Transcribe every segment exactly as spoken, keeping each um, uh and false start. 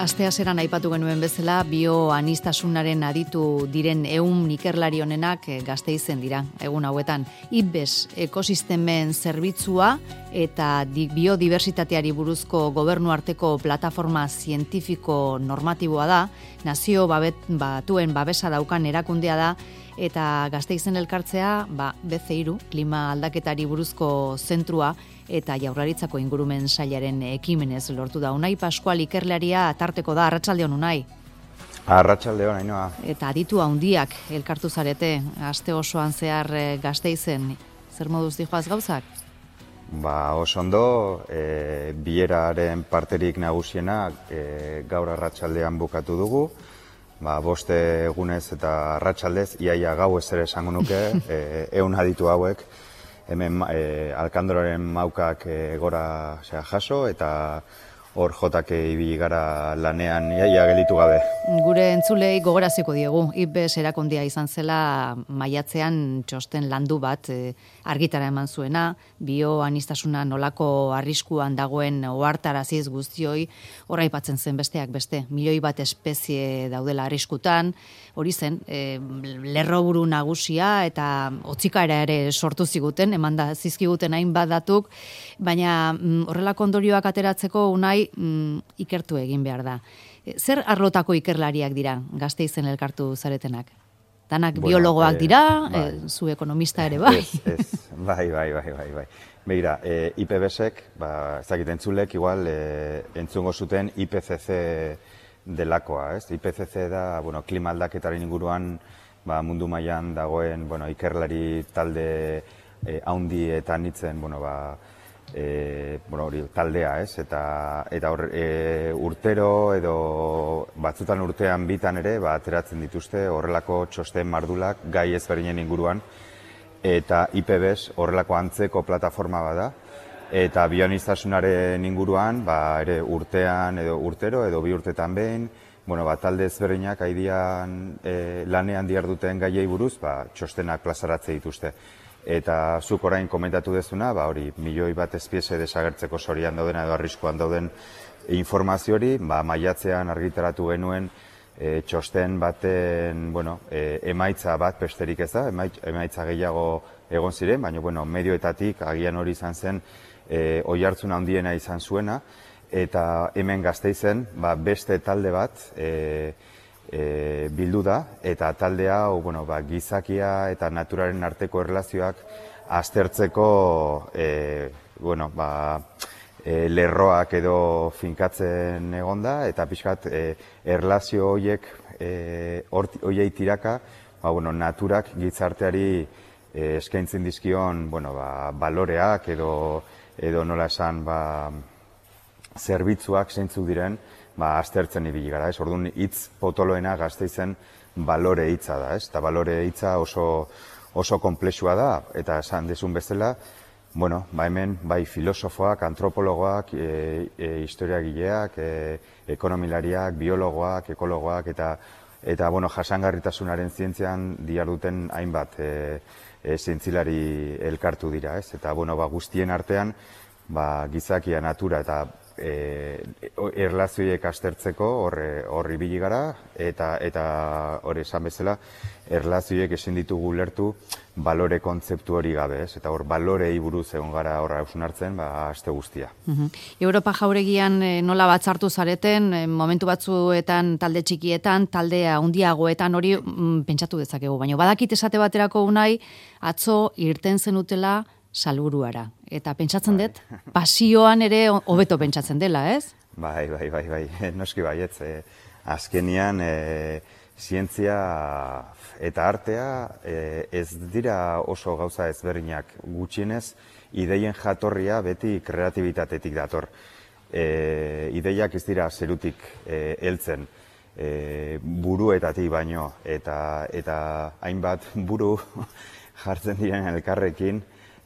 Aste hasieran aipatu genuen bezala, bioanistasunaren aditu diren ehun ikerlari honenak Gasteizen dira, egun hauetan. I P B E S ekosistemen zerbitzua eta biodiversitateari buruzko gobernu arteko plataforma zientifiko normatiboa da, nazio babet, batuen babesa daukan erakundea da, eta Gasteizen elkartzea, ba, B C hiru, klima aldaketari buruzko zentrua, eta Jaurlaritzako ingurumen sailaren ekimenez lortu da. Unai Pascual ikerlaria tarteko da, arratsaldeon Unai. Arratsaldeon, Ainhoa. Eta aditu handiak elkartu zarete, aste osoan zehar Gasteizen, zer moduz dijoaz gauzak? Ba, oso ondo, e, bileraren parterik nagusiena e, gaur arratsaldean bukatu dugu. Ba, boste egunez eta arratsaldez, iaia gau ez ere esango nuke, e, ehun aditu hauek, hemen e, Alkandroren maukak e, gora sea, jaso, eta hor jotake ibili gara lanean iaia gelditu gabe. Gure entzulei gogoraziko diegu, I P B E S erakundia izan zela maiatzean txosten landu bat e, argitara eman zuena, bioanistasuna nolako arriskuan dagoen ohartaraziz guztioi, horra aipatzen zen besteak beste, milioi bat espezie daudela arriskutan, hori zen, e, lerroburu nagusia eta hotzikaera ere sortu ziguten, eman da zizkiguten hainbat datuk, baina mm, horrelako ondorioak ateratzeko Unai mm, ikertu egin behar da. Zer arlotako ikerlariak dira Gasteizen elkartu zaretenak? Danak bueno, biologoak dira, eh, bai. e, zu ekonomista ere bai? Ez, ez, bai, bai, bai, bai, bai. Begira, e, I P B E S-ek, ba, ezakit entzulek, igual, e, entzungo zuten I P C C delakoa, ez? I P C C da, bueno, klima aldaketaren inguruan, ba, mundu mailan dagoen, bueno, ikerlari talde e, haundi eta nitzen, bueno, ba, E, bueno, hori, taldea, ez? Eta, eta hor, e, urtero edo batzutan urtean bitan ere, ba, ateratzen dituzte horrelako txosten mardulak gai ezberdinen inguruan, eta I P B E S horrelako antzeko plataforma bada, eta bioanistasunaren inguruan, ba, ere urtean edo urtero edo bi urtetan behin, bueno, ba, talde ezberdinak haidian e, lanean diharduten gaiei buruz, ba, txostenak plazaratze dituzte. Eta zuk orain komentatu dezuna, ba hori, milioi bat espezie desagertzeko sorian dauden edo arriskuan dauden informazio hori, ba maiatzean argitaratu genuen e, txosten baten, bueno, e, emaitza bat besterik ez da, emaitza gehiago egon ziren, baina bueno, medioetatik agian hori izan zen e, oihartzun handiena izan zuena, eta hemen Gasteizen, ba beste talde bat, e, E, bildu da, eta talde hau, bueno, ba, gizakia eta naturaren arteko erlazioak aztertzeko e, bueno, ba, e, lerroak edo finkatzen egonda, eta pixkat e, erlazio horiek e, horiei tiraka, ba, bueno, naturak gizarteari e, eskaintzen dizkion, bueno, ba, baloreak edo, edo nola esan, ba, zerbitzuak zeintzuk diren, ba, aztertzen ibili gara, ez? Orduan hitz potoloena Gasteizen balore hitza da, ez? Eta balore hitza oso, oso konplexua da, eta esan dezun bezala, bueno, ba hemen, bai filosofoak, antropologoak, e, e, historiagileak, e, ekonomilariak, biologoak, ekologoak, eta, eta bueno, jasangarritasunaren zientzian diharduten hainbat e, e, zientzilari elkartu dira, ez? Eta, bueno, ba, guztien artean, ba, gizakia, natura eta E, erlazioiek aztertzeko horri ibili gara, eta eta hori esan bezala erlazioiek ezin ditugu lertu balore kontzeptu hori gabe, ez? Eta hor balorei buruz egon gara horra hausnartzen, ba aste guztia. Uh-huh. Europa jauregian e, nola batzartu zareten, e, momentu batzuetan talde txikietan, talde handiagoetan hori mm, pentsatu dezakegu, baina badakit esate baterako Unai atzo irten zenutela salburuara. Eta pentsatzen dut, pasioan ere hobeto pentsatzen dela, ez? Bai, bai, bai, bai, noski baietz. Eh, azkenian, eh, zientzia eta artea eh, ez dira oso gauza ezberdinak, gutxienez, ideien jatorria beti kreatibitatetik dator. Eh, ideiak ez dira zerutik eh, heltzen, eh, buruetatik baino, eta, eta hainbat buru jartzen diren elkarrekin,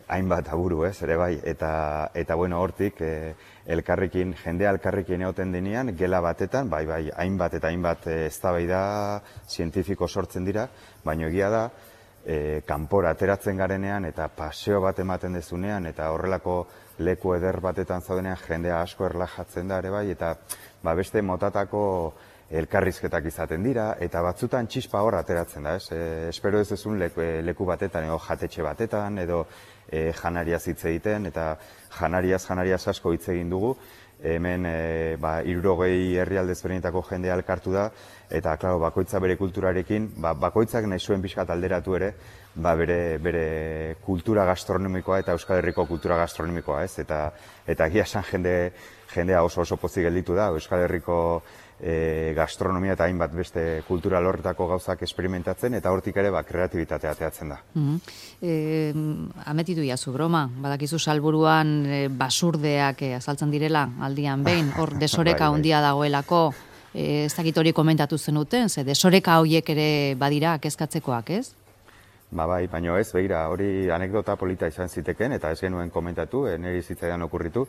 hainbat aburu, ez, ere bai, eta, eta bueno, hortik, e, elkarrekin, jendea elkarrekin egoten denean, gela batetan, bai, bai, hainbat eta hainbat eztabaida zientifiko sortzen dira, baina egia da, e, kanpora ateratzen garenean, eta paseo bat ematen dezunean, eta horrelako leku eder batetan zaudenean jendea asko erlajatzen da ere bai, eta ba, beste motatako elkarrizketak izaten dira, eta batzutan txispa hor ateratzen da, ez? E, espero ez ezun leku, leku batetan, edo jatetxe batetan, edo e, janariaz hitz egiten, eta janariaz, janariaz asko hitz egin dugu, hemen e, ba, hirurogei herrialde ezberdinetako jendea elkartu da, eta, klaro, bakoitza bere kulturarekin, ba, bakoitzak nahi zuen pixkat alderatu ere, ba, bere, bere kultura gastronomikoa eta Euskal Herriko kultura gastronomikoa, ez? Eta, eta egia esan jende, jendea oso oso pozik gelditu da, Euskal Herriko e, gastronomia eta hainbat beste kultura lorretako gauzak experimentatzen, eta hortik ere ba, kreatibitatea ateatzen da. Mm -hmm. e, ametitu jazu broma, badakizu Salburuan e, basurdeak e, azaltzen direla aldian behin, hor desoreka handia dagoelako, e, ez dakit hori komentatu zenuten, ze desoreka horiek ere badira kezkatzekoak, ez? Ba bai, baino ez, begira, hori anekdota polita izan ziteken, eta ez genuen komentatu, e, niri zitzaidan okurritu,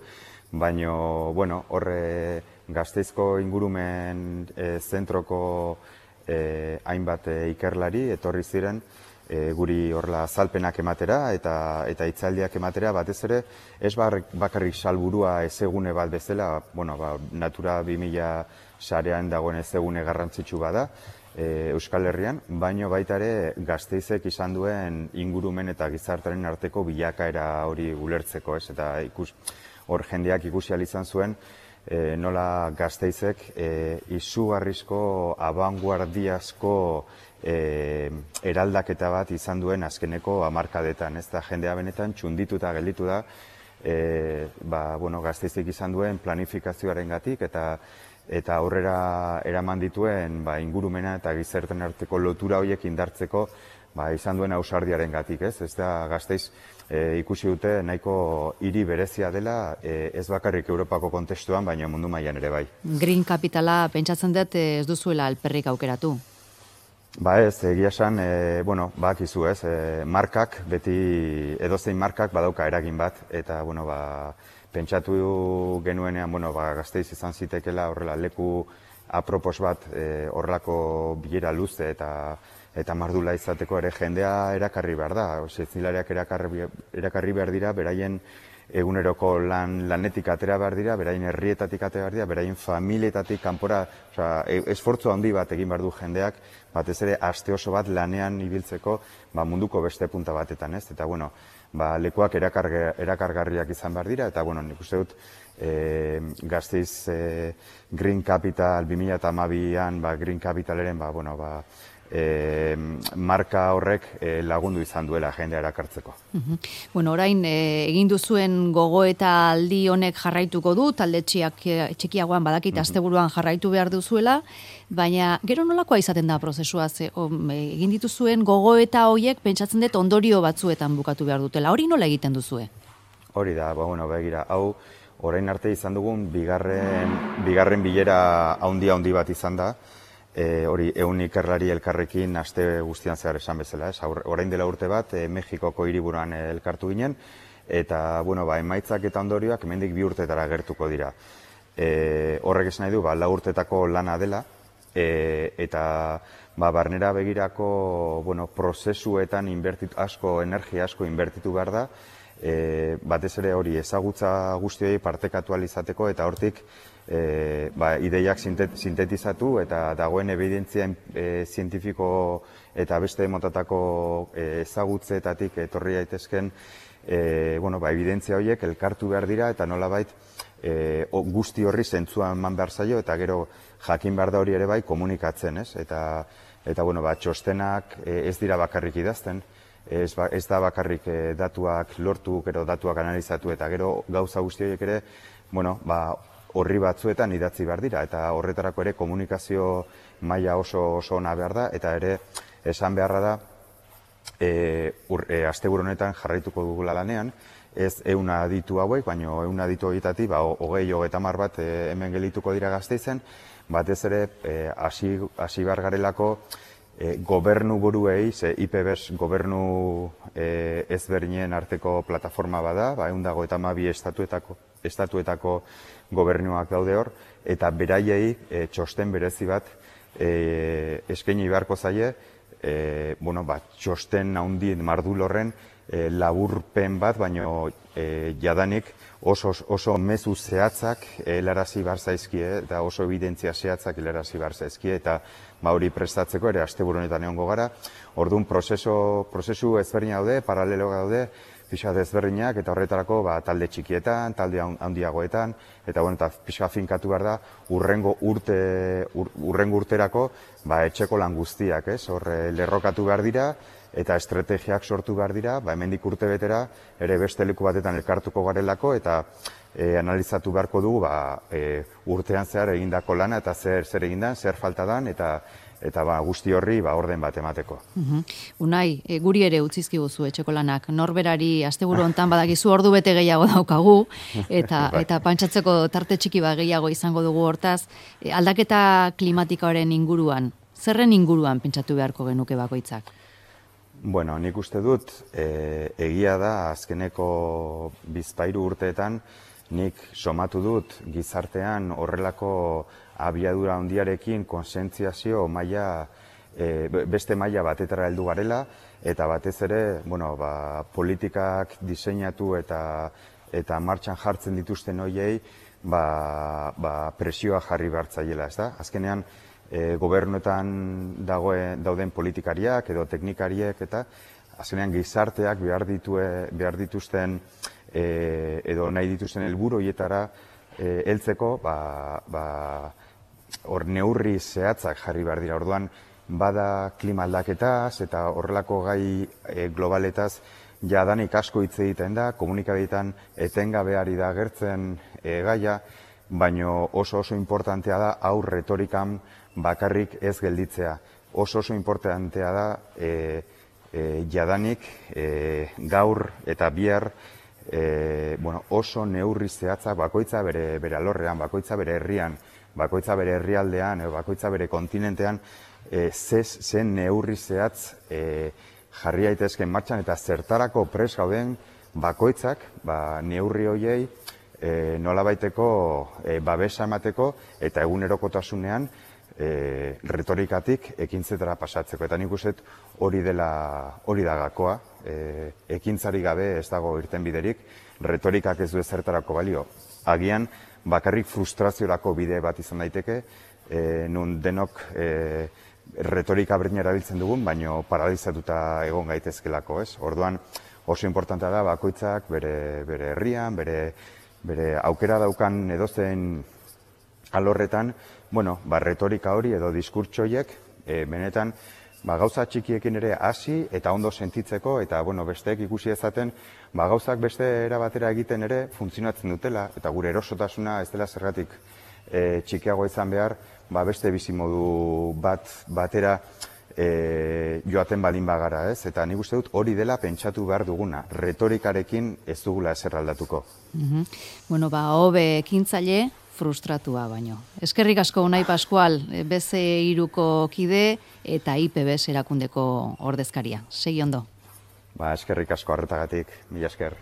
baino, bueno, horre Gasteizko ingurumen e, zentroko e, hainbat e, ikerlari etorri ziren e, guri horla azalpenak ematera eta eta hitzaldiak ematera, batez ere ez bakarrik Salburua ezegune bat bezala, bueno, ba, Natura bi mila sarean dagoen ezegune garrantzitsu bada e, Euskal Herrian, baino baita ere Gasteizek izan duen ingurumen eta gizartearen arteko bilakaera hori ulertzeko, ez? Eta ikus, hor jendeak ikusi ahal izan zuen E, nola Gasteizek e, izugarrizko abanguardiazko e, eraldaketa bat izan duen azkeneko hamarkadetan, ez da jendea benetan txundituta gelditu da e, ba, bueno, Gasteizek izan duen planifikazioarengatik eta eta aurrera eraman dituen ba, ingurumena eta gizarteen arteko lotura horiek indartzeko ba, izan duen ausardiarengatik, ez? Ez da Gasteiz e, ikusi dute nahiko hiri berezia dela, e, ez bakarrik Europako kontestuan, baina mundu mailan ere bai. Green Capitala pentsatzen dut ez duzuela alperrik aukeratu. Ba ez, egia esan, e, bueno, bakizu ez, e, markak, beti edozein markak badauka eragin bat, eta, bueno, ba, pentsatu genuenean, bueno, ba, Gasteiz izan zitekela horrela leku apropos bat e, horrelako bilera luze eta eta mardula izateko ere jendea erakarri behar da. Zilariak erakarri, erakarri behar dira, beraien eguneroko lan, lanetik atera behar dira, beraien herrietatik atera behar dira, beraien familietatik kanpora, osea, esfortzu handi bat egin behar du jendeak, batez ere aste oso bat lanean ibiltzeko ba, munduko beste punta batetan, ez? Eta, bueno, ba, lekuak erakarge, erakargarriak izan behar dira, eta, bueno, nik uste dut, e, Gasteiz e, Green Capital bi mila hamabian, ba, Green Capitaleren, ba, bueno, ba, E, marka horrek e, lagundu izan duela jendea erakartzeko. Uh-huh. Bueno, orain e, egin duzuen gogoeta aldi honek jarraituko du, talde txiak, txikiagoan badakit uh-huh. asteburuan jarraitu behar duzuela, baina gero nolakoa izaten da prozesua, ze, o, egin dituzuen gogoeta horiek pentsatzen dut ondorio batzuetan bukatu behar dutela. Hori nola egiten duzue? Hori da, ba, bueno, begira, hau orain arte izan dugun bigarren, bigarren bilera haundi haundi bat izan da, E, hori ehun ikerlari elkarrekin aste guztian zehar esan bezala, ez? Orain dela urte bat e, Mexikoko hiriburuan elkartu ginen eta bueno, ba, emaitzak eta ondorioak hemendik bi urtetara gertuko dira. E, horrek esan nahi du, ba, lau urtetako lana dela e, eta ba, barnera begirako bueno, prozesuetan inbertitu, asko, energia asko inbertitu behar da, e, batez ere hori ezagutza guztioi partekatu ahal izateko eta hortik E, ba, ideiak sintetizatu eta dagoen evidentzia e, zientifiko eta beste motatako e, ezagutzetatik etorri daitezken e, bueno, ba, evidentzia horiek elkartu behar dira eta nolabait e, guzti horri zentzua eman behar zaio eta gero jakin behar da hori ere bai komunikatzen, ez? Eta, eta bueno, ba, txostenak e, ez dira bakarrik idazten, ez, ba, ez da bakarrik e, datuak lortu, gero datuak analizatu eta gero gauza guzti horiek ere, bueno, ba, horri batzuetan idatzi behar dira, eta horretarako ere komunikazio maila oso oso ona behar da, eta ere esan beharra da, e, e, asteburu honetan jarraituko dugula lanean, ez ehuna aditu hauek, baina ehuna aditu horietatik, ba, hogei hogeita hamar bat e, hemen gelituko dira Gasteizen, batez ere hasi e, behar garelako e, gobernu buruei, ze I P B E S gobernu e, ezberdinen arteko plataforma bada, ba, ehun eta hogeita hamabi estatuetako, estatuetako gobernuak daude hor, eta beraiei e, txosten berezi bat e, eskaini beharko zaie, e, bueno, ba, txosten handien mardul horren e, laburpen bat, baino e, jadanik oso, oso mezu zehatzak helarazi behar zaizkie, eta oso evidentzia zehatzak helarazi behar zaizkie, eta ba hori prestatzeko ere asteburu honetan egongo gara. Orduan prozesu, prozesu ezberdina daude, paralelo daude, pixka ezberdinak, eta horretarako ba, talde txikietan, talde handiagoetan, eta bueno, eta pixka finkatu behar da, urrengo urte, ur, urrengo urterako ba, etxeko lan guztiak, ez? Hor lerrokatu behar dira, eta estrategiak sortu behar dira, ba, hemendik urte betera, ere beste leku batetan elkartuko garelako, eta e, analizatu beharko dugu ba, e, urtean zehar egindako lana, eta zer, zer egindan, zer faltadan, eta eta ba, guzti horri ba, orden bat emateko. Uh-huh. Unai, e, guri ere utzizkiguzu etxeko lanak, norberari asteburu hontan badakizu ordu bete gehiago daukagu, eta eta pantsatzeko tarte txiki bat gehiago izango dugu hortaz, e, aldaketa klimatikoaren inguruan, zerren inguruan pentsatu beharko genuke bakoitzak? Bueno, nik uste dut, e, egia da azkeneko bizpahiru urteetan, nik somatu dut gizartean horrelako abiadura handiarekin konsientziazio maila, e, beste maila batetara heldu garela, eta batez ere, bueno, ba, politikak diseinatu eta eta martxan jartzen dituzten hoiei, ba, ba, presioa jarri behartzaiela, ez da? Azkenean, e, gobernuetan dagoen, dauden politikariak edo teknikariek, eta azkenean gizarteak behar, ditue, behar dituzten e, edo nahi dituzten helburu horietara e, heltzeko, ba, ba, hor neurri zehatzak jarri behar dira. Orduan, bada klima aldaketaz eta horrelako gai e, globaletaz jadanik asko hitz egiten da, komunikabideetan etengabe ari da agertzen e, gaia, baino oso oso importantea da hau retorikan bakarrik ez gelditzea. Oso oso importantea da e, e, jadanik e, gaur eta bihar e, bueno, oso neurri zehatzak bakoitza bere, bere alorrean, bakoitza bere herrian, bakoitza bere herrialdean, bakoitza bere kontinentean, e, zez, zen neurri zehatz e, jarri daitezken martxan, eta zertarako pres gauden bakoitzak ba, neurri horiei e, nolabaiteko e, babesa emateko, eta egunerokotasunean e, retorikatik ekintzetara pasatzeko. Eta nik uste hori dela hori da gakoa, e, ekintzari gabe ez dago irtenbiderik, retorikak ez du ezertarako balio. Agian, bakarrik frustraziorako bide bat izan daiteke, e, nun denok e, retorika berdina erabiltzen dugun, baino paralizatuta egon gaitezkelako, ez? Orduan, oso importantea da bakoitzak bere, bere herrian, bere, bere aukera daukan edozein alorretan, bueno, ba, retorika hori edo diskurtsoiek, e, benetan, ba, gauza txikiekin ere hasi eta ondo sentitzeko, eta bueno, besteek ikusi ezaten, ba, gauzak beste era batera egiten ere funtzionatzen dutela, eta gure erosotasuna ez dela zergatik e, txikiago izan behar, ba, beste bizimodu bat batera e, joaten balin bagara, ez? Eta nik uste dut hori dela pentsatu behar duguna, retorikarekin ez dugula ezer aldatuko. Mm-hmm. Bueno, ba, hobe ekintzaile, frustratua baino. Eskerrik asko Unai Pascual, B C hiruko kide eta I P B S erakundeko ordezkaria. Segi ondo. Ba, eskerrik asko arretagatik, mila esker.